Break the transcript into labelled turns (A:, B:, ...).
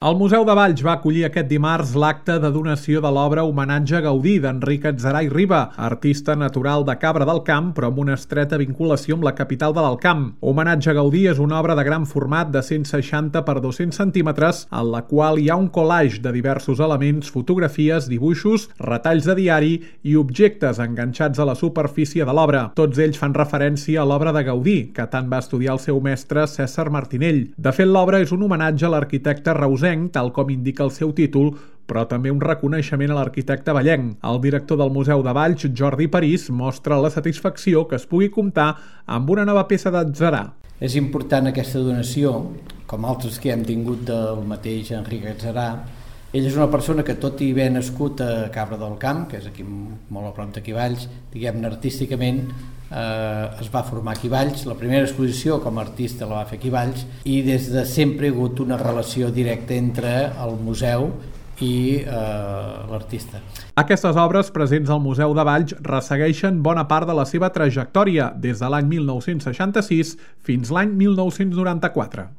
A: El Museu de Valls va acollir aquest dimarts l'acte de donació de l'obra Homenatge a Gaudí d'Enric Adzerar i Riba, artista natural de Cabra del Camp, però amb una estreta vinculació amb la capital de l'Alt Camp. Homenatge a Gaudí és una obra de gran format de 160 per 200 centímetres, en la qual hi ha un collage de diversos elements, fotografies, dibuixos, retalls de diari i objectes enganxats a la superfície de l'obra. Tots ells fan referència a l'obra de Gaudí, que tant va estudiar el seu mestre Cèsar Martinell. De fet, l'obra és un homenatge a l'arquitecte reusenc, tal com indica el seu títol, però també un reconeixement a l'arquitecte vallenc. El director del Museu de Valls, Jordi París, mostra la satisfacció que es pugui comptar amb una nova peça d'Adzerar.
B: És important aquesta donació, com altres que hem tingut del mateix Enric Adzerar. Ell és una persona que, tot i haver nascut a Cabra del Camp, que és aquí molt a prop d'aquí Valls, diguem-ne artísticament, es va formar aquí a Valls. La primera exposició com a artista la va fer aquí a Valls i des de sempre hi ha hagut una relació directa entre el museu i l'artista.
A: Aquestes obres presents al Museu de Valls ressegueixen bona part de la seva trajectòria des de l'any 1966 fins l'any 1994.